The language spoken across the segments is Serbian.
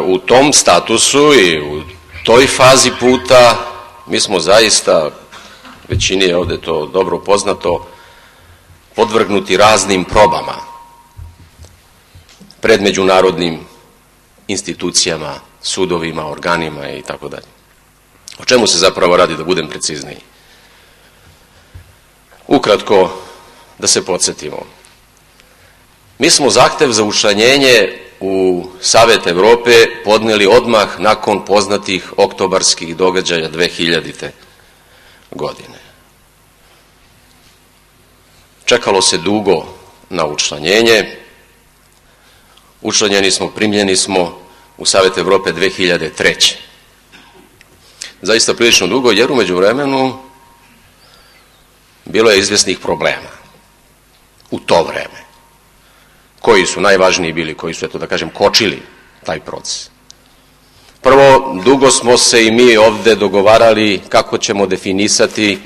u tom statusu i u toj fazi puta mi smo zaista, većini je ovdje to dobro poznato, podvrgnuti raznim probama pred međunarodnim institucijama, sudovima, organima i tako dalje. O čemu se zapravo radi, da budem precizniji? Ukratko, da se podsjetimo. Mi smo zahtev za učlanjenje u Savet Evrope podnijeli odmah nakon poznatih oktobarskih događaja 2000. godine. Čekalo se dugo na učlanjenje. Učlanjeni smo, primljeni smo u Savet Evrope 2003. Zaista prilično dugo, jer u međuvremenu bilo je izvjesnih problema u to vreme. Koji su najvažniji bili, koji su, eto da kažem, kočili taj proces. Prvo, dugo smo se i mi ovdje dogovarali kako ćemo definisati,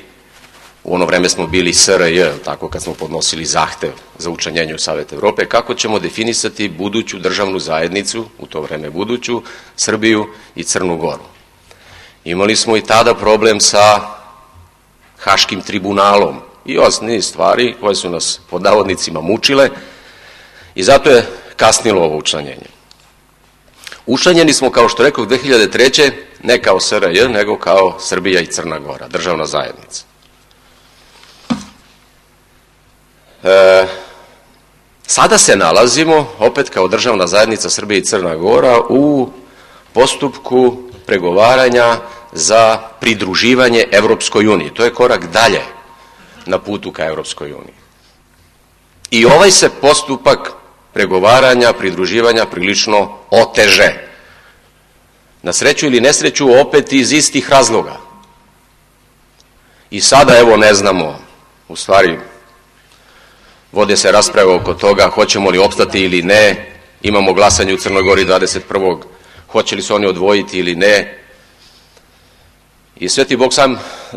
u ono vreme smo bili SRJ, tako kad smo podnosili zahtev za učlanjenje u Savet Evrope, kako ćemo definisati buduću državnu zajednicu, u to vreme buduću, Srbiju i Crnu Goru. Imali smo i tada problem sa Haškim tribunalom i osnovnih stvari koje su nas pod navodnicima mučile i zato je kasnilo ovo učlanjenje. Učlanjeni smo, kao što rekao, 2003. ne kao SRJ, nego kao Srbija i Crna Gora, državna zajednica. Sada se nalazimo, opet kao državna zajednica Srbija i Crna Gora, u postupku pregovaranja za pridruživanje Evropskoj uniji. To je korak dalje na putu ka Evropskoj uniji. I ovaj se postupak pregovaranja, pridruživanja prilično oteže. Na sreću ili nesreću, opet iz istih razloga. I sada, evo, ne znamo, u stvari, vode se rasprave oko toga hoćemo li opstati ili ne, imamo glasanje u Crnoj Gori 21. hoće li se oni odvojiti ili ne. I Sveti Bog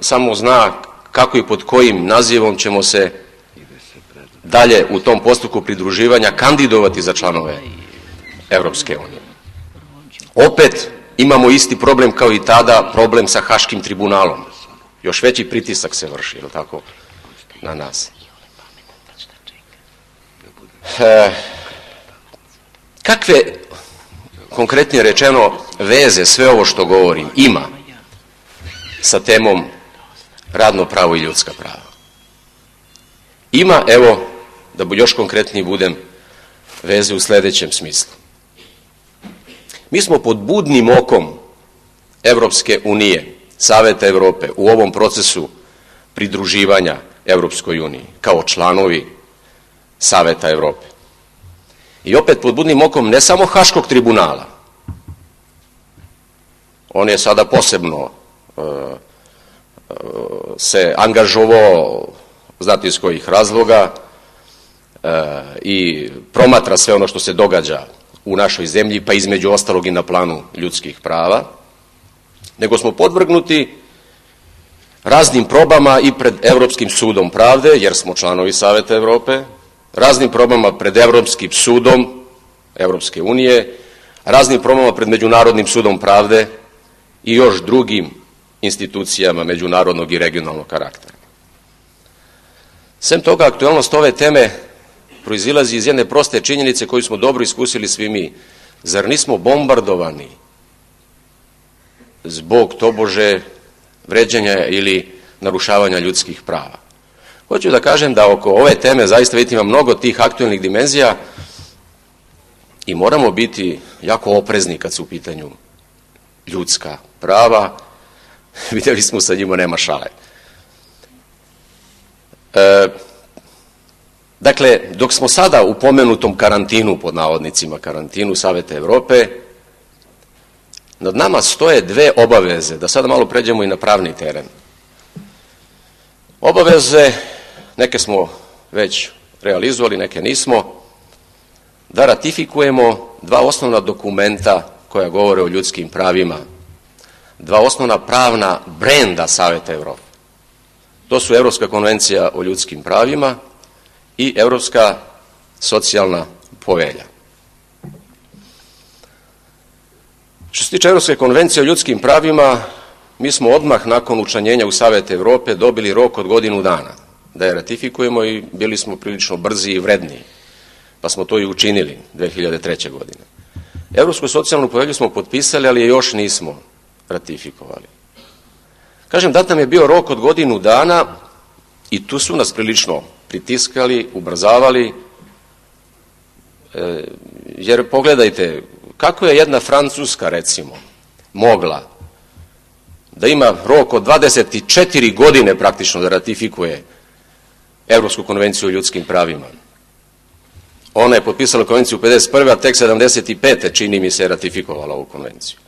samo zna kako i pod kojim nazivom ćemo se dalje u tom postupku pridruživanja kandidovati za članove Evropske unije. Opet imamo isti problem kao i tada, problem sa Haškim tribunalom. Još veći pritisak se vrši, je li tako, na nas. Kakve, konkretnije rečeno, veze sve ovo što govorim ima sa temom radno pravo i ljudska prava? Ima, evo, da još konkretniji budem, veze u sljedećem smislu. Mi smo pod budnim okom Evropske unije, Saveta Evrope, u ovom procesu pridruživanja Evropskoj uniji, kao članovi Saveta Evrope. I opet pod budnim okom ne samo Haškog tribunala, on je sada posebno se angažovao, znate iz kojih razloga, i promatra sve ono što se događa u našoj zemlji, pa između ostalog i na planu ljudskih prava, nego smo podvrgnuti raznim probama i pred Evropskim sudom pravde, jer smo članovi Saveta Evrope, raznim probama pred Evropskim sudom Evropske unije, raznim probama pred Međunarodnim sudom pravde i još drugim institucijama međunarodnog i regionalnog karaktera. Sem toga, aktuelnost ove teme proizilazi iz jedne proste činjenice koju smo dobro iskusili svi mi. Zar nismo bombardovani zbog tobože vređanja ili narušavanja ljudskih prava? Hoću da kažem da oko ove teme zaista vidite ima mnogo tih aktuelnih dimenzija i moramo biti jako oprezni kad su u pitanju ljudska prava. Vidjeli smo sa njima nema šale. Dakle, dok smo sada u pomenutom karantinu, pod navodnicima karantinu Saveta Evrope, nad nama stoje dve obaveze, da sada malo pređemo i na pravni teren. Obaveze, neke smo već realizovali, neke nismo, da ratifikujemo dva osnovna dokumenta koja govore o ljudskim pravima, dva osnovna pravna brenda Saveta Evrope. To su Evropska konvencija o ljudskim pravima i Evropska socijalna povelja. Što se tiče Evropske konvencije o ljudskim pravima, mi smo odmah nakon učlanjenja u Savet Evrope dobili rok od godinu dana da je ratifikujemo i bili smo prilično brzi i vredniji, pa smo to i učinili 2003. godine. Evropsku socijalnu povelju smo potpisali, ali je još nismo ratifikovali. Kažem, dat nam je bio rok od godinu dana i tu su nas prilično pritiskali, ubrzavali, jer pogledajte, kako je jedna Francuska, recimo, mogla da ima rok od 24 godine praktično da ratifikuje Evropsku konvenciju o ljudskim pravima. Ona je potpisala konvenciju 51. a tek 75. čini mi se ratifikovala ovu konvenciju.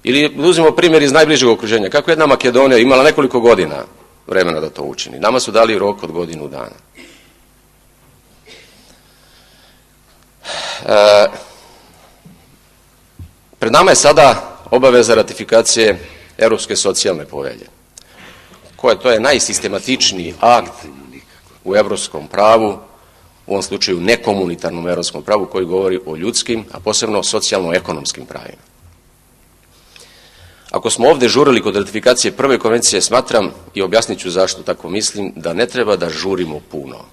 Ili uzmimo primjer iz najbližeg okruženja. Kako je jedna Makedonija imala nekoliko godina vremena da to učini. Nama su dali rok od godinu dana. Pred nama je sada obaveza ratifikacije Evropske socijalne povelje, to je najsistematičniji akt u evropskom pravu, u ovom slučaju nekomunitarnom evropskom pravu koji govori o ljudskim, a posebno socijalno-ekonomskim pravima. Ako smo ovde žurili kod ratifikacije prve konvencije, smatram, i objasnit ću zašto tako mislim, da ne treba da žurimo puno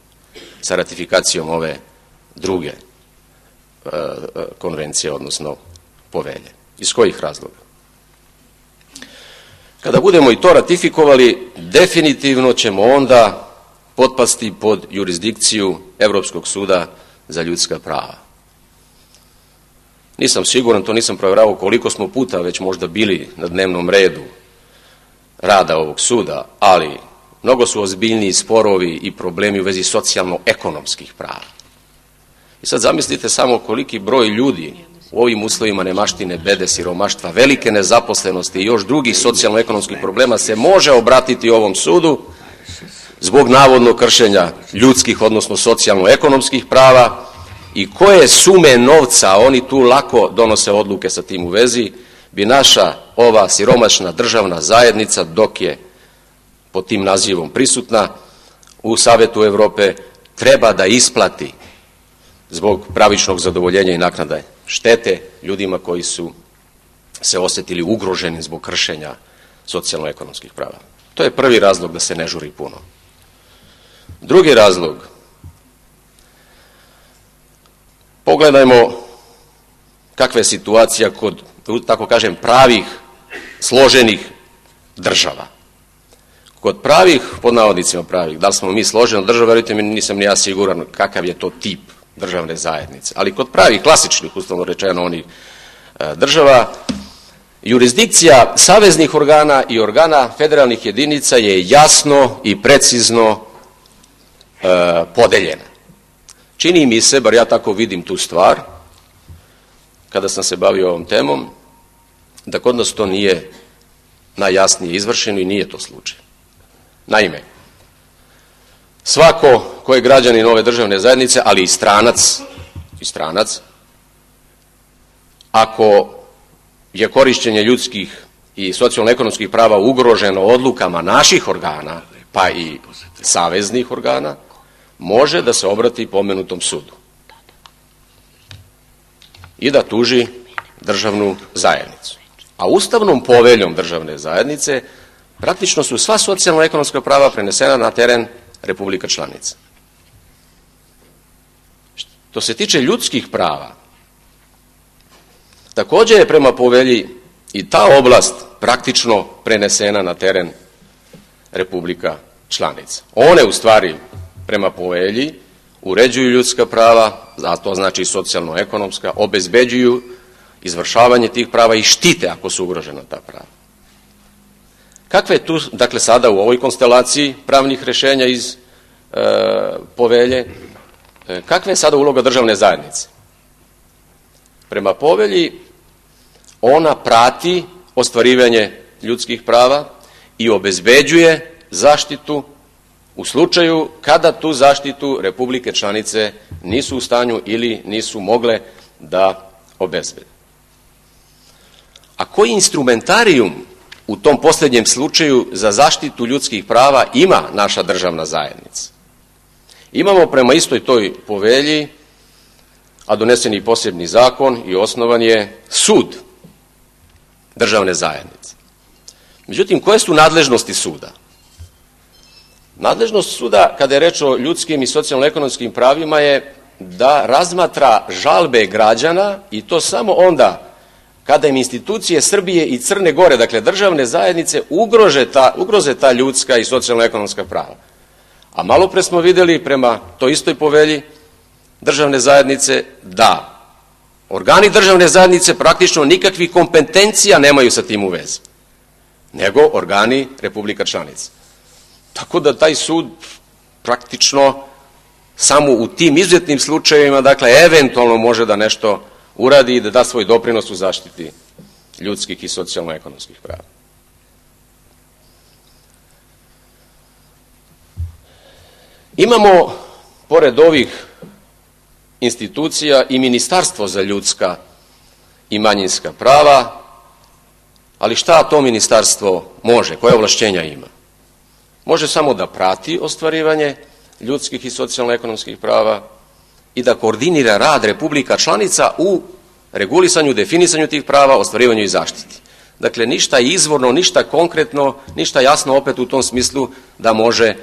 sa ratifikacijom ove druge konvencije, odnosno povelje. Iz kojih razloga? Kada budemo i to ratifikovali, definitivno ćemo onda potpasti pod jurisdikciju Evropskog suda za ljudska prava. Nisam siguran, to nisam provjeravao koliko smo puta već možda bili na dnevnom redu rada ovog suda, ali mnogo su ozbiljniji sporovi i problemi u vezi socijalno-ekonomskih prava. I sad zamislite samo koliki broj ljudi u ovim uslovima nemaštine, bede, siromaštva, velike nezaposlenosti i još drugih socijalno-ekonomskih problema se može obratiti ovom sudu zbog navodnog kršenja ljudskih, odnosno socijalno-ekonomskih prava, i koje sume novca, oni tu lako donose odluke sa tim u vezi, bi naša ova siromašna državna zajednica, dok je pod tim nazivom prisutna u Savetu Evrope, treba da isplati zbog pravičnog zadovoljenja i naknade štete ljudima koji su se osetili ugroženi zbog kršenja socijalno-ekonomskih prava. To je prvi razlog da se ne žuri puno. Drugi razlog, pogledajmo kakva je situacija kod, tako kažem, pravih, složenih država. Kod pravih, pod navodnicima pravih, da li smo mi složena država, verujte mi, nisam ni ja siguran kakav je to tip državne zajednice, ali kod pravih, klasičnih, uslovno rečeno, onih država, jurisdikcija saveznih organa i organa federalnih jedinica je jasno i precizno podeljena. Čini mi se, bar ja tako vidim tu stvar, kada sam se bavio ovom temom, da kod nas to nije najjasnije izvršeno i nije to slučaj. Naime, svako ko je građanin ove državne zajednice, ali i stranac, ako je korišćenje ljudskih i socijalno-ekonomskih prava ugroženo odlukama naših organa, pa i saveznih organa, može da se obrati pomenutom sudu i da tuži državnu zajednicu. A ustavnom poveljom državne zajednice praktično su sva socijalno-ekonomska prava prenesena na teren Republika članica. Što se tiče ljudskih prava, također je prema povelji i ta oblast praktično prenesena na teren Republika članica. One u stvari prema povelji uređuju ljudska prava, a to znači socijalno-ekonomska, obezbeđuju izvršavanje tih prava i štite ako su ugrožena ta prava. Kakva je tu, dakle sada u ovoj konstelaciji pravnih rešenja iz povelje, kakva je sada uloga državne zajednice? Prema povelji ona prati ostvarivanje ljudskih prava i obezbeđuje zaštitu u slučaju kada tu zaštitu Republike članice nisu u stanju ili nisu mogle da obezbede. A koji instrumentarijum u tom posljednjem slučaju za zaštitu ljudskih prava ima naša državna zajednica? Imamo prema istoj toj povelji, a donesen je posebni zakon i osnovan je sud državne zajednice. Međutim, koje su nadležnosti suda? Nadležnost suda, kada je reč o ljudskim i socijalno-ekonomskim pravima, je da razmatra žalbe građana i to samo onda kada im institucije Srbije i Crne Gore, dakle državne zajednice, ugroze ta ljudska i socijalno-ekonomska prava. A malo pre smo vidjeli prema toj istoj povelji državne zajednice da organi državne zajednice praktično nikakvih kompetencija nemaju sa tim u vezi, nego organi republika članica. Tako da taj sud praktično samo u tim izuzetnim slučajevima, dakle, eventualno može da nešto uradi i da da svoj doprinos u zaštiti ljudskih i socijalno-ekonomskih prava. Imamo, pored ovih institucija, i Ministarstvo za ljudska i manjinska prava, ali šta to ministarstvo može, koje ovlašćenja ima? Može samo da prati ostvarivanje ljudskih i socijalno-ekonomskih prava i da koordinira rad republika članica u regulisanju, definisanju tih prava, ostvarivanju i zaštiti. Dakle, ništa izvorno, ništa konkretno, ništa jasno opet u tom smislu da može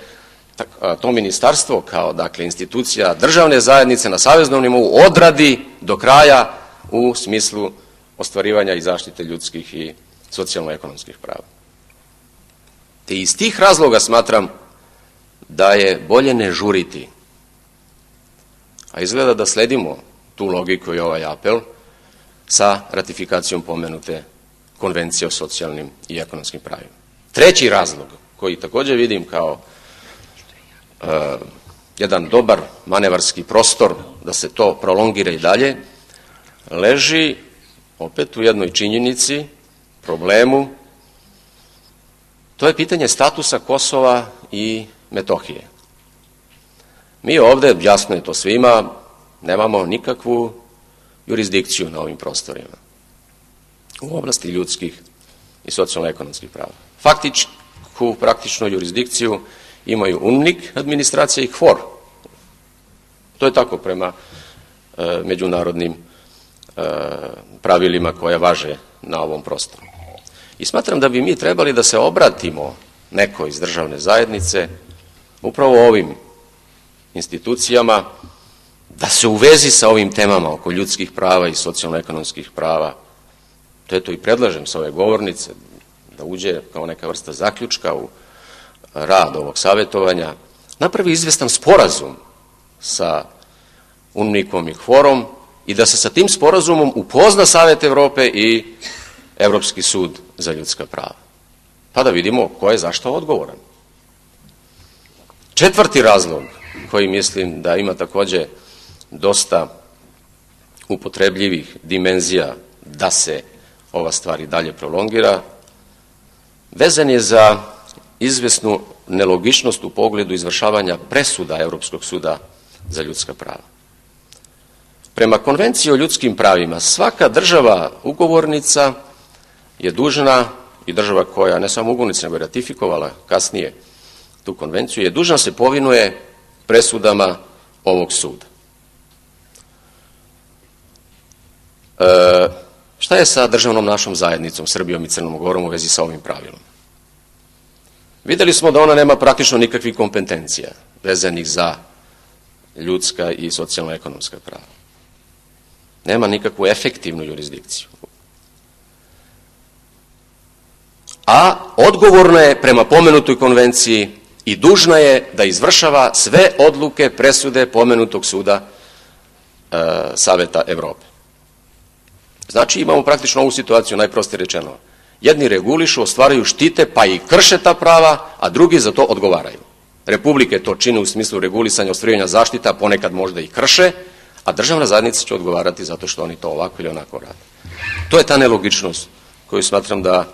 to ministarstvo kao, dakle, institucija državne zajednice na saveznom nivou odradi do kraja u smislu ostvarivanja i zaštite ljudskih i socijalno-ekonomskih prava. Te iz tih razloga smatram da je bolje ne žuriti, a izgleda da sledimo tu logiku i ovaj apel sa ratifikacijom pomenute Konvencije o socijalnim i ekonomskim pravima. Treći razlog, koji također vidim kao jedan dobar manevarski prostor da se to prolongira i dalje, leži opet u jednoj činjenici, problemu. To je pitanje statusa Kosova i Metohije. Mi ovde, jasno je to svima, nemamo nikakvu jurisdikciju na ovim prostorima u oblasti ljudskih i socijalno-ekonomskih prava. Faktičku, praktičnu jurisdikciju imaju UNMIK administracija i KFOR. To je tako prema međunarodnim pravilima koje važe na ovom prostoru. I smatram da bi mi trebali da se obratimo nekoj iz državne zajednice, upravo ovim institucijama, da se u vezi sa ovim temama oko ljudskih prava i socijalno-ekonomskih prava, to je to i predlažem sa ove govornice, da uđe kao neka vrsta zaključka u rad ovog savjetovanja, napravi izvestan sporazum sa UNMIK-om i KFOR-om i da se sa tim sporazumom upozna Savet Evrope i Evropski sud za ljudska prava. Pa da vidimo ko je zašto odgovoran. Četvrti razlog, koji mislim da ima također dosta upotrebljivih dimenzija da se ova stvar i dalje prolongira, vezan je za izvesnu nelogičnost u pogledu izvršavanja presuda Evropskog suda za ljudska prava. Prema Konvenciji o ljudskim pravima, svaka država ugovornica je dužna, i država koja ne samo ugovornica, nego je ratifikovala kasnije tu konvenciju, je dužna se povinuje presudama ovog suda. Šta je sa državnom našom zajednicom, Srbijom i Crnom Gorom u vezi sa ovim pravilom? Videli smo da ona nema praktično nikakvih kompetencija vezanih za ljudska i socijalno-ekonomska prava. Nema nikakvu efektivnu jurisdikciju. A odgovorna je prema pomenutoj konvenciji i dužna je da izvršava sve odluke, presude pomenutog suda Saveta Evrope. Znači imamo praktično ovu situaciju, najprostije rečeno. Jedni regulišu, ostvaraju, štite, pa i krše ta prava, a drugi za to odgovaraju. Republike to čine u smislu regulisanja, ostvarivanja zaštita, ponekad možda i krše, a državna zajednica će odgovarati zato što oni to ovako ili onako rade. To je ta nelogičnost koju smatram da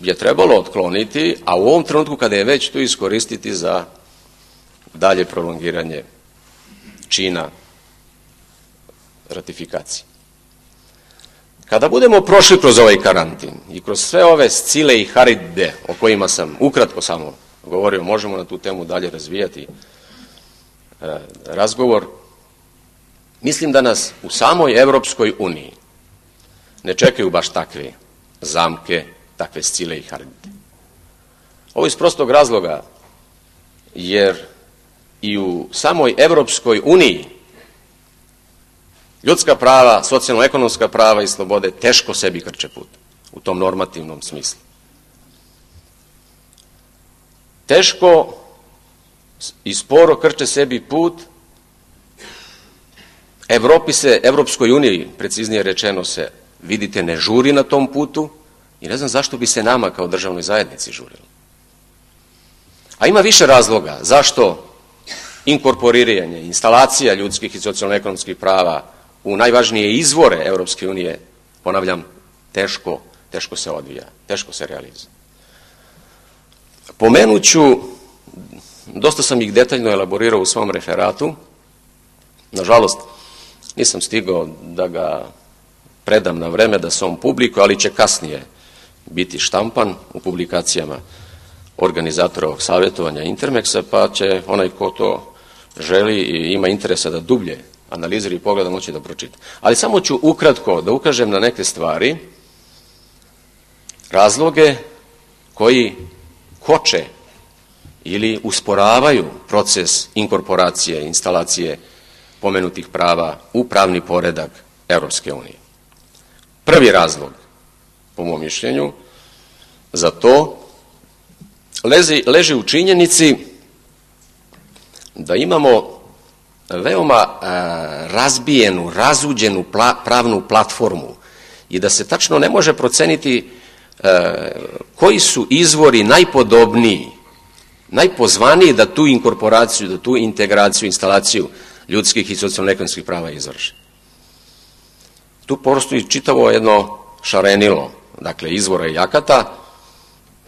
je trebalo otkloniti, a u ovom trenutku kada je već tu iskoristiti za dalje prolongiranje čina ratifikacije. Kada budemo prošli kroz ovaj karantin i kroz sve ove scile i haride o kojima sam ukratko samo govorio, možemo na tu temu dalje razvijati razgovor, mislim da nas u samoj Evropskoj uniji ne čekaju baš takve zamke, takve Scile i Haribde. Ovo iz prostog razloga, jer i u samoj Evropskoj uniji ljudska prava, socijalno-ekonomska prava i slobode teško sebi krče put u tom normativnom smislu. Teško i sporo krče sebi put Evropskoj uniji, preciznije rečeno se, vidite, ne žuri na tom putu i ne znam zašto bi se nama kao državnoj zajednici žurilo. A ima više razloga zašto inkorporiranje, instalacija ljudskih i socijalno-ekonomskih prava u najvažnije izvore Evropske unije, ponavljam, teško se odvija, teško se realizuje. Pomenuću, dosta sam ih detaljno elaborirao u svom referatu, nažalost nisam stigao da ga predam na vreme, da se on publikuje, ali će kasnije biti štampan u publikacijama organizatora ovog savjetovanja Intermexa, pa će onaj ko to želi i ima interesa da dublje analizira i pogleda moći da pročita. Ali samo ću ukratko da ukažem na neke stvari, razloge koji koče ili usporavaju proces inkorporacije, instalacije pomenutih prava u pravni poredak Evropske unije. Prvi razlog, po mom mišljenju, za to leži u činjenici da imamo veoma razbijenu, razuđenu pravnu platformu i da se tačno ne može proceniti koji su izvori najpodobniji, najpozvaniji da tu inkorporaciju, da tu integraciju, instalaciju ljudskih i socijalno-ekonomskih prava izvrše. Tu postoji čitavo jedno šarenilo, dakle, izvora i akata.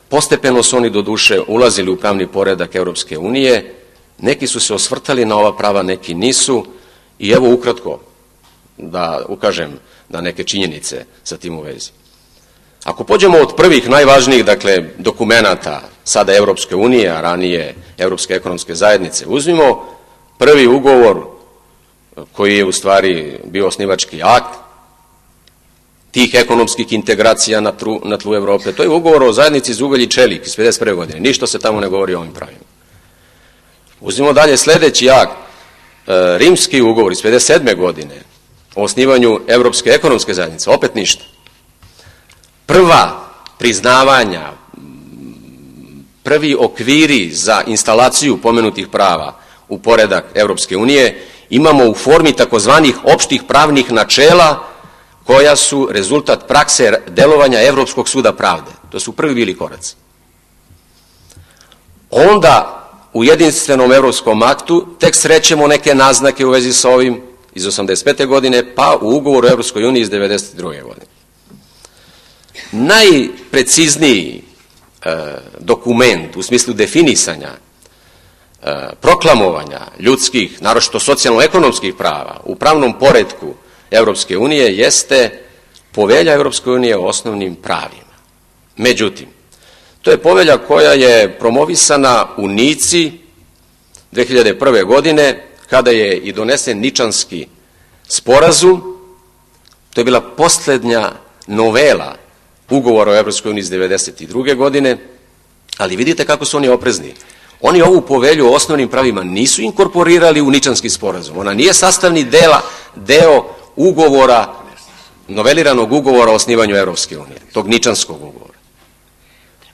Postepeno su oni do duše ulazili u pravni poredak Evropske unije, neki su se osvrtali na ova prava, neki nisu, i evo ukratko da ukažem na neke činjenice sa tim u vezi. Ako pođemo od prvih najvažnijih, dakle, dokumenata sada Evropske unije, a ranije Evropske ekonomske zajednice, uzmimo prvi ugovor koji je u stvari bio osnivački akt tih ekonomskih integracija na tlu Evrope. To je ugovor o zajednici za ugalj i čelik iz 1951. godine. Ništa se tamo ne govori o ovim pravima. Uzmimo dalje sledeći akt, rimski ugovor iz 1957. godine o osnivanju Evropske ekonomske zajednice. Opet ništa. Prva priznavanja, prvi okviri za instalaciju pomenutih prava u poredak Evropske unije imamo u formi takozvanih opštih pravnih načela koja su rezultat prakse delovanja Evropskog suda pravde. To su prvi bili koraci. Onda u jedinstvenom evropskom aktu tek srećemo neke naznake u vezi sa ovim iz 1985. godine, pa u ugovoru o Evropskoj uniji iz 1992. godine. Najprecizniji dokument u smislu definisanja, proklamovanja ljudskih, naročito socijalno-ekonomskih prava u pravnom poretku Evropske unije jeste Povelja Evropske unije o osnovnim pravima. Međutim, to je povelja koja je promovisana u Nici 2001. godine, kada je i donesen Ničanski sporazum. To je bila poslednja novela ugovora o Evropskoj uniji iz 1992. godine, ali vidite kako su oni oprezni. Oni ovu povelju o osnovnim pravima nisu inkorporirali u Ničanski sporazum. Ona nije sastavni deo ugovora, noveliranog ugovora o osnivanju Evropske unije, tog Ničanskog ugovora.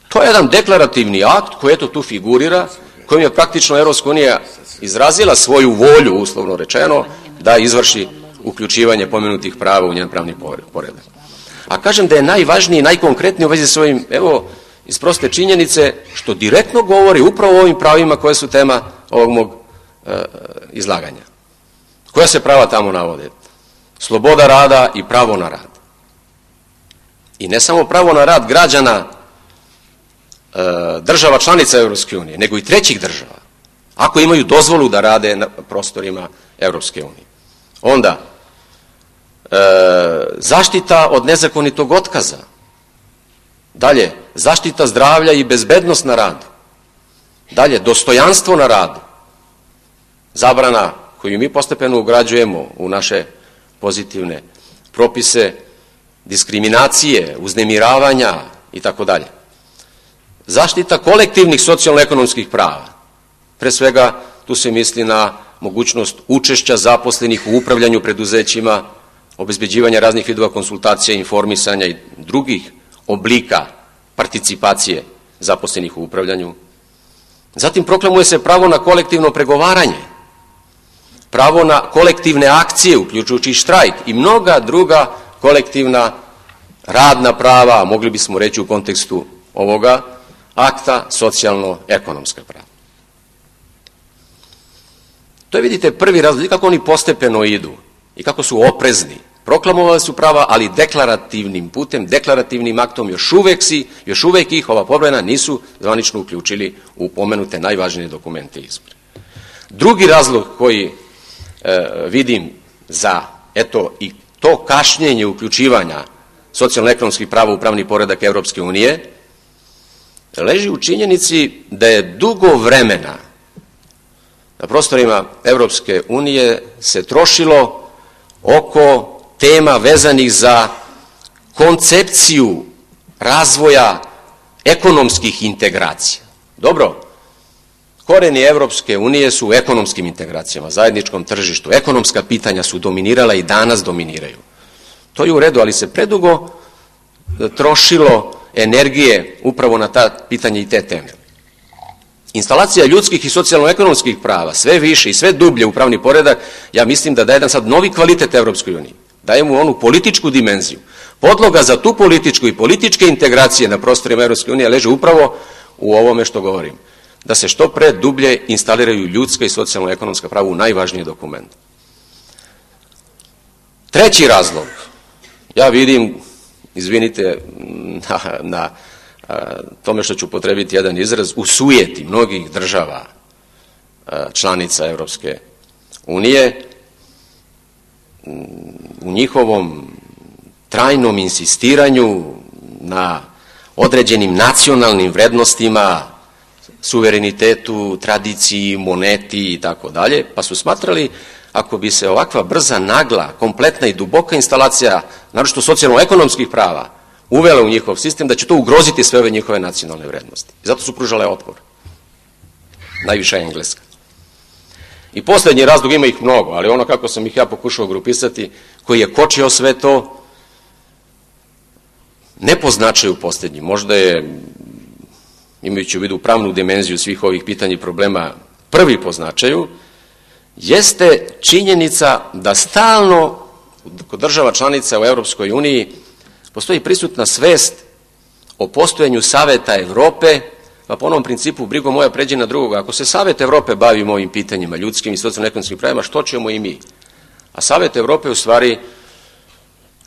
To je jedan deklarativni akt koji eto tu figurira, kojim je praktično Evropska unija izrazila svoju volju, uslovno rečeno, da izvrši uključivanje pomenutih prava u njen pravni poredak. A kažem da je najvažniji i najkonkretniji u vezi s ovim, evo, iz proste činjenice, što direktno govori upravo o ovim pravima koje su tema ovog mog izlaganja. Koja se prava tamo navode? Sloboda rada i pravo na rad. I ne samo pravo na rad građana država članica Evropske unije, nego i trećih država, ako imaju dozvolu da rade na prostorima Evropske unije. Onda, zaštita od nezakonitog otkaza. Dalje, zaštita zdravlja i bezbednost na radu. Dalje, dostojanstvo na radu. Zabrana koju mi postepeno ugrađujemo u naše pozitivne propise diskriminacije, uznemiravanja i tako dalje. Zaštita kolektivnih socijalno-ekonomskih prava. Pre svega, tu se misli na mogućnost učešća zaposlenih u upravljanju preduzećima, obezbeđivanja raznih vidova konsultacija, informisanja i drugih oblika participacije zaposlenih u upravljanju. Zatim proklamuje se pravo na kolektivno pregovaranje, pravo na kolektivne akcije, uključujući štrajk i mnoga druga kolektivna radna prava, mogli bismo reći u kontekstu ovoga akta, socijalno-ekonomska prava. To je, vidite, prvi razlog, kako oni postepeno idu i kako su oprezni. Proklamovali su prava, ali deklarativnim putem, deklarativnim aktom još uvek ih ova pobrojena nisu zvanično uključili u pomenute najvažnije dokumente izbora. Drugi razlog koji vidim za, eto, i to kašnjenje uključivanja socijalno-ekonomskih prava u pravni poredak Evropske unije leži u činjenici da je dugo vremena na prostorima Evropske unije se trošilo oko tema vezanih za koncepciju razvoja ekonomskih integracija. Dobro, koreni Evropske unije su u ekonomskim integracijama, zajedničkom tržištu. Ekonomska pitanja su dominirala i danas dominiraju. To je u redu, ali se predugo trošilo energije upravo na ta pitanja i te teme. Instalacija ljudskih i socijalno-ekonomskih prava sve više i sve dublje u pravni poredak, ja mislim da daje jedan sad novi kvalitet Evropskoj uniji. Daje mu onu političku dimenziju. Podloga za tu političku i političke integracije na prostorima Evropske unije leže upravo u ovome što govorim. Da se što pre dublje instaliraju ljudska i socijalno-ekonomska prava u najvažnije dokumente. Treći razlog, ja vidim, izvinite na tome što ću potrebiti jedan izraz, u sujeti mnogih država članica Evropske unije, u njihovom trajnom insistiranju na određenim nacionalnim vrednostima, suverenitetu, tradiciji, moneti i tako dalje, pa su smatrali ako bi se ovakva brza, nagla, kompletna i duboka instalacija, naročito socijalno-ekonomskih prava, uvela u njihov sistem, da će to ugroziti sve ove njihove nacionalne vrednosti. I zato su pružale otpor. Najviša je Engleska. I poslednji razlog, ima ih mnogo, ali ono kako sam ih ja pokušao grupisati, koji je kočio sve to, ne po značaju poslednji, možda je, imajući u vidu pravnu dimenziju svih ovih pitanja i problema, prvi po značaju, jeste činjenica da stalno kod država članica u Evropskoj uniji postoji prisutna svest o postojanju Saveta Evrope, pa po onom principu brigo moja pređe na drugoga. Ako se Savet Evrope bavi ovim pitanjima, ljudskim i socijalno-ekonomskim pravima, što ćemo i mi? A Savet Evrope u stvari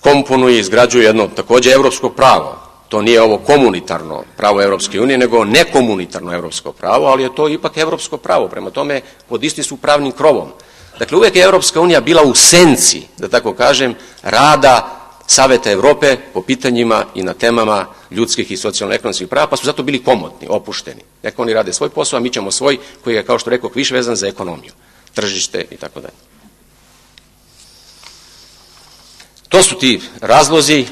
komponuje i izgrađuje jedno takođe evropsko pravo. To nije ovo komunitarno pravo Evropske unije, nego nekomunitarno evropsko pravo, ali je to ipak evropsko pravo. Prema tome, pod isti su pravnim krovom. Dakle, uvek je Evropska unija bila u senci, da tako kažem, rada Saveta Evrope po pitanjima i na temama ljudskih i socijalno-ekonomskih prava, pa su zato bili komotni, opušteni. Neka oni rade svoj posao, a mi ćemo svoj, koji je, kao što rekao, više vezan za ekonomiju, tržište i tako dalje. To su ti razlozi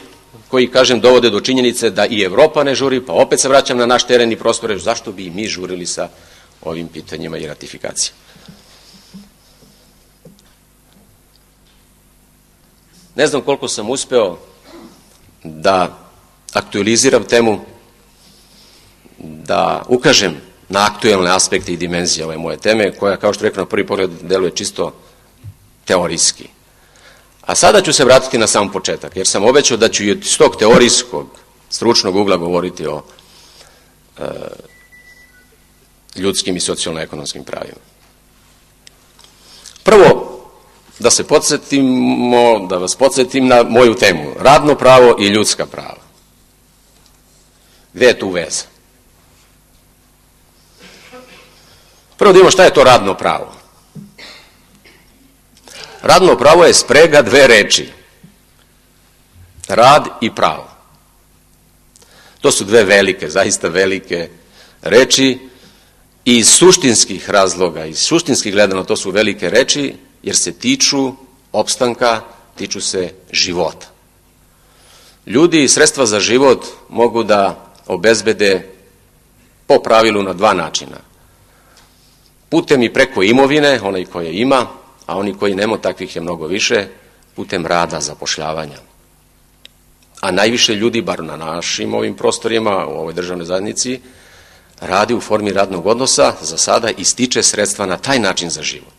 koji, kažem, dovode do činjenice da i Evropa ne žuri, pa opet se vraćam na naš teren i prostore, zašto bi i mi žurili sa ovim pitanjima i ratifikacijama. Ne znam koliko sam uspeo da aktualiziram temu, da ukažem na aktuelne aspekte i dimenzije ove moje teme, koja, kao što rekao, na prvi pogled deluje čisto teorijski. A sada ću se vratiti na sam početak, jer sam obećao da ću i od tog teorijskog, stručnog ugla govoriti o ljudskim i socijalno-ekonomskim pravima. Prvo, da vas podsjetim na moju temu, radno pravo i ljudska prava. Gde je tu veza? Prvo da imamo šta je to radno pravo. Radno pravo je sprega dve reči. Rad i pravo. To su dve velike, zaista velike reči i iz suštinskih razloga, iz suštinskih gledano to su velike reči, jer se tiču opstanka, tiču se života. ljudi sredstva za život mogu da obezbede po pravilu na dva načina. Putem i preko imovine, onaj koji ima, a oni koji nema, takvih je mnogo više, putem rada, zapošljavanja. A najviše ljudi, bar na našim ovim prostorima, u ovoj državnoj zajednici, radi u formi radnog odnosa, za sada i stiče sredstva na taj način za život.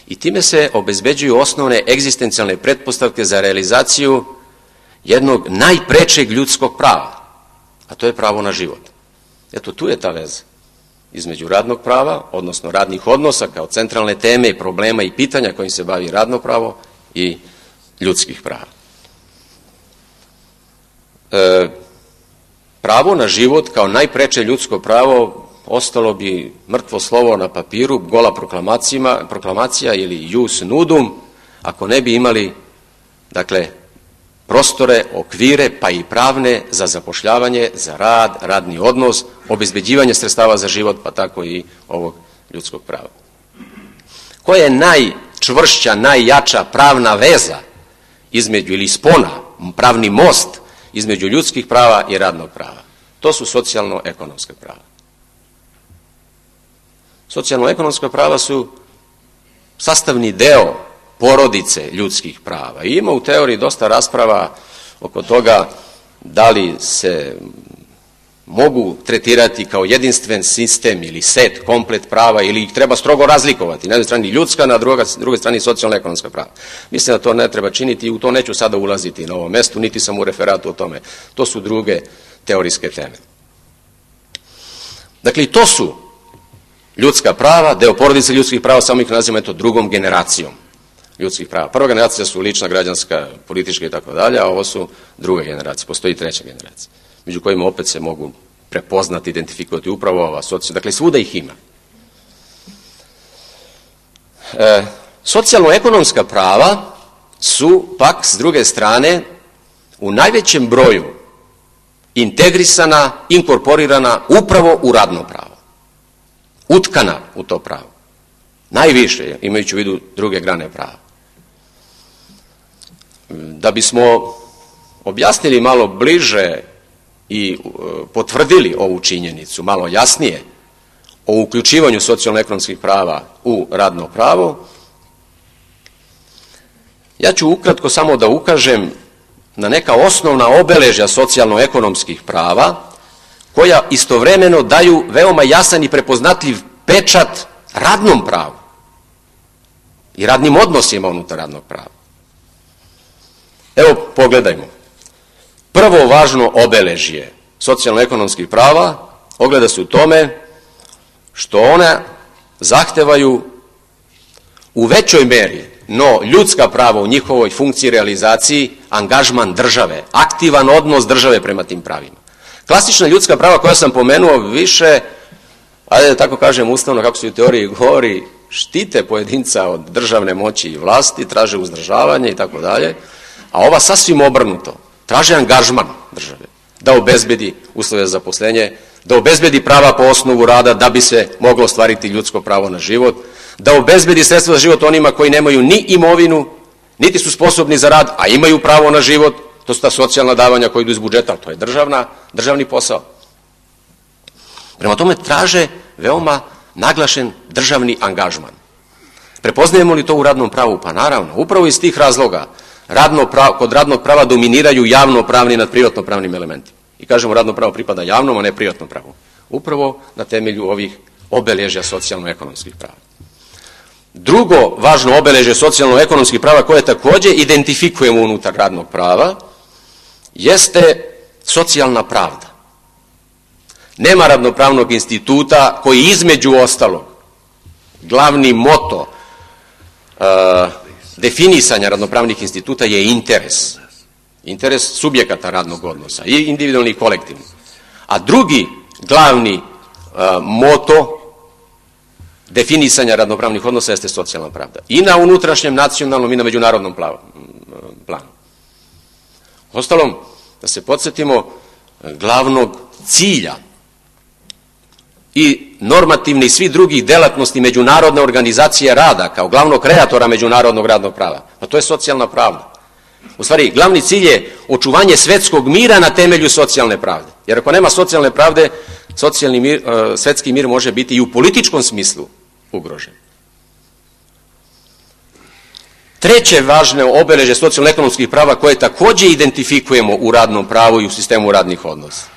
I time se obezbeđuju osnovne egzistencijalne pretpostavke za realizaciju jednog najprečeg ljudskog prava, a to je pravo na život. Eto, tu je ta veza između radnog prava, odnosno radnih odnosa kao centralne teme i problema i pitanja kojim se bavi radno pravo i ljudskih prava. Pravo na život kao najpreče ljudsko pravo ostalo bi mrtvo slovo na papiru, gola proklamacija ili jus nudum, ako ne bi imali, dakle, prostore, okvire, pa i pravne za zapošljavanje, za rad, radni odnos, obezbeđivanje sredstava za život, pa tako i ovog ljudskog prava. Koja je najčvršća, najjača pravna veza između, ili spona, pravni most između ljudskih prava i radnog prava? To su socijalno-ekonomska prava. Socijalno-ekonomska prava su sastavni deo porodice ljudskih prava. I ima u teoriji dosta rasprava oko toga da li se mogu tretirati kao jedinstven sistem ili set, komplet prava, ili ih treba strogo razlikovati. Na jednoj strani ljudska, na drugoj strani socijalno-ekonomska prava. Mislim da to ne treba činiti i u to neću sada ulaziti na ovom mestu, niti sam u referatu o tome. To su druge teorijske teme. Dakle, i to su ljudska prava, deo porodice ljudskih prava, samo ih nazivamo drugom generacijom ljudskih prava. Prva generacija su lična, građanska, politička i tako dalje, a ovo su druga generacija, postoji treća generacija, među kojima opet se mogu prepoznati, identifikovati upravo ova socijalna, dakle svuda ih ima. Socijalno-ekonomska prava su pak s druge strane u najvećem broju integrisana, inkorporirana upravo u radno pravo, utkana u to pravo. Najviše, imajući u vidu druge grane prava. Da bismo objasnili malo bliže i potvrdili ovu činjenicu, malo jasnije, o uključivanju socijalno-ekonomskih prava u radno pravo, ja ću ukratko samo da ukažem na neka osnovna obeležja socijalno-ekonomskih prava, koja istovremeno daju veoma jasan i prepoznatljiv pečat radnom pravu i radnim odnosima unutar radnog prava. Evo, pogledajmo. Prvo važno obeležje socijalno-ekonomskih prava ogleda se u tome što one zahtevaju u većoj meri, no ljudska prava u njihovoj funkciji realizaciji, angažman države, aktivan odnos države prema tim pravima. Klasična ljudska prava koja sam pomenuo više, ajde da tako kažem ustavno, kako se u teoriji govori, štite pojedinca od državne moći i vlasti, traže uzdržavanje i tako dalje, a ova sasvim obrnuto, traže angažman države, da obezbedi uslove za zaposlenje, da obezbedi prava po osnovu rada da bi se moglo ostvariti ljudsko pravo na život, da obezbedi sredstva za život onima koji nemaju ni imovinu, niti su sposobni za rad, a imaju pravo na život, to su ta socijalna davanja koja idu iz budžeta, to je državni posao. Prema tome traže veoma naglašen državni angažman. Prepoznajemo li to u radnom pravu? Pa naravno, upravo iz tih razloga kod radnog prava dominiraju javno-pravni nad privatno-pravnim elementima. I kažemo radno pravo pripada javnom, a ne privatnom pravu. Upravo na temelju ovih obeležja socijalno-ekonomskih prava. Drugo važno obeležje socijalno-ekonomskih prava koje također identifikujemo unutar radnog prava jeste socijalna pravda. Nema radnopravnog instituta koji između ostalog glavni moto definisanja radnopravnih instituta je interes. Interes subjekata radnog odnosa, i individualni i kolektivni. A drugi glavni moto definisanja radnopravnih odnosa jeste socijalna pravda. I na unutrašnjem, nacionalnom i na međunarodnom planu. Ostalom, da se podsjetimo glavnog cilja i normativni i svi drugih delatnosti međunarodne organizacije rada kao glavnog kreatora međunarodnog radnog prava. Pa to je socijalna pravda. U stvari, glavni cilj je očuvanje svetskog mira na temelju socijalne pravde. Jer ako nema socijalne pravde, svetski mir može biti i u političkom smislu ugrožen. Treće važno obeležje socijalno-ekonomskih prava koje također identifikujemo u radnom pravu i u sistemu radnih odnosa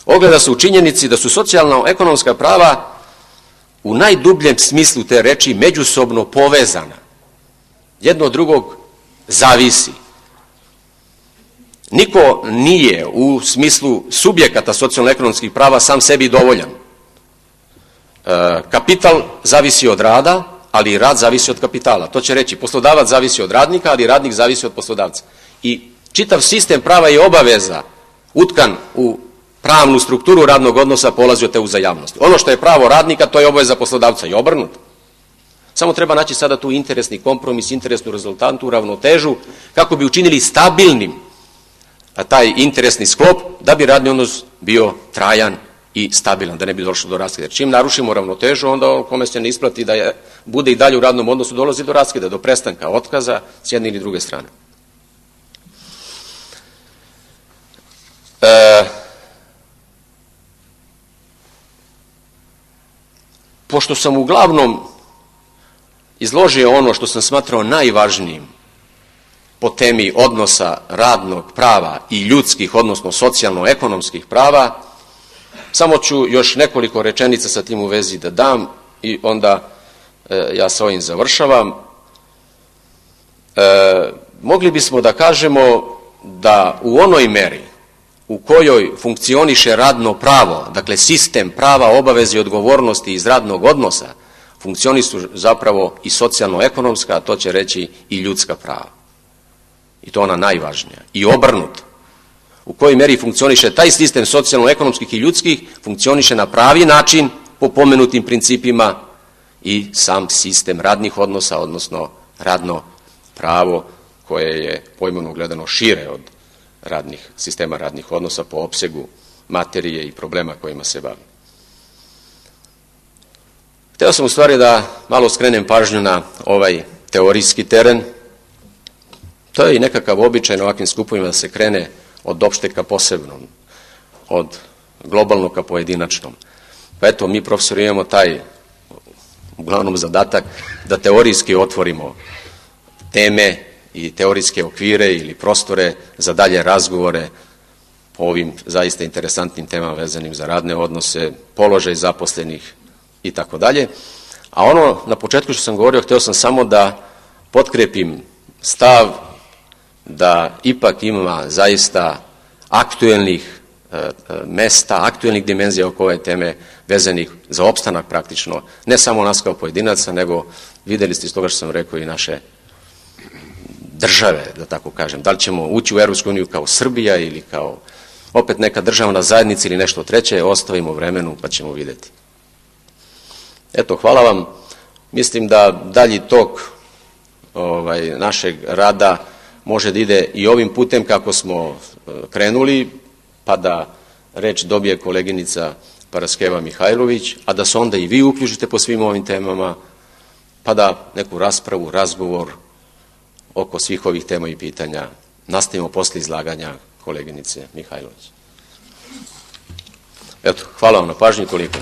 ogleda se u činjenici da su socijalno-ekonomska prava u najdubljem smislu te reči međusobno povezana. Jedno od drugog zavisi. Niko nije u smislu subjekata socijalno-ekonomskih prava sam sebi dovoljan. Kapital zavisi od rada, ali i rad zavisi od kapitala. To će reći, poslodavac zavisi od radnika, ali radnik zavisi od poslodavca. I čitav sistem prava i obaveza utkan u pravnu strukturu radnog odnosa polazi od te uzajamnosti. Ono što je pravo radnika, to je obaveza poslodavca i obrnuto. Samo treba naći sada tu interesni kompromis, interesnu rezultantu, ravnotežu, kako bi učinili stabilnim taj interesni sklop, da bi radni odnos bio trajan i stabilan, da ne bi došlo do raskida. Jer čim narušimo ravnotežu, onda kome se ne isplati da bude i dalje u radnom odnosu, dolazi do raskida, do prestanka, otkaza s jedne ili druge strane. Pošto sam uglavnom izložio ono što sam smatrao najvažnijim po temi odnosa radnog prava i ljudskih, odnosno socijalno-ekonomskih prava, samo ću još nekoliko rečenica sa tim u vezi da dam i onda ja sa ovim završavam. Mogli bismo da kažemo da u onoj meri u kojoj funkcioniše radno pravo, dakle sistem prava, obaveze i odgovornosti iz radnog odnosa, funkcionišu zapravo i socijalno-ekonomska, a to će reći i ljudska prava. I to ona najvažnija. I obrnuto. U kojoj meri funkcioniše taj sistem socijalno-ekonomskih i ljudskih, funkcioniše na pravi način po pomenutim principima i sam sistem radnih odnosa, odnosno radno pravo koje je pojmovno gledano šire od sistema radnih odnosa po opsegu materije i problema kojima se bavi. Hteo sam u stvari da malo skrenem pažnju na ovaj teorijski teren. To je i nekakav običaj na ovakvim skupovima da se krene od opšteg ka posebnom, od globalnog ka pojedinačnom. Pa eto, mi profesori imamo taj uglavnom zadatak da teorijski otvorimo teme i teorijske okvire ili prostore za dalje razgovore po ovim zaista interesantnim temama vezanim za radne odnose, položaj zaposlenih i tako dalje. A ono na početku što sam govorio, hteo sam samo da potkrepim stav da ipak ima zaista aktuelnih mesta, aktuelnih dimenzija oko ove teme vezanih za opstanak praktično, ne samo nas kao pojedinaca, nego videli ste iz toga što sam rekao i naše države, da tako kažem. Da li ćemo ući u Europsku uniju kao Srbija ili kao opet neka državna zajednica ili nešto treće, ostavimo vremenu pa ćemo vidjeti. Eto, hvala vam. Mislim da dalji tok našeg rada može da ide i ovim putem kako smo krenuli, pa da reč dobije koleginica Paraskeva Mihajlović, a da se onda i vi uključite po svim ovim temama, pa da neku raspravu, razgovor oko svih ovih tema i pitanja nastavimo posle izlaganja koleginice Mihajlović. Eto, hvala vam na pažnji, toliko.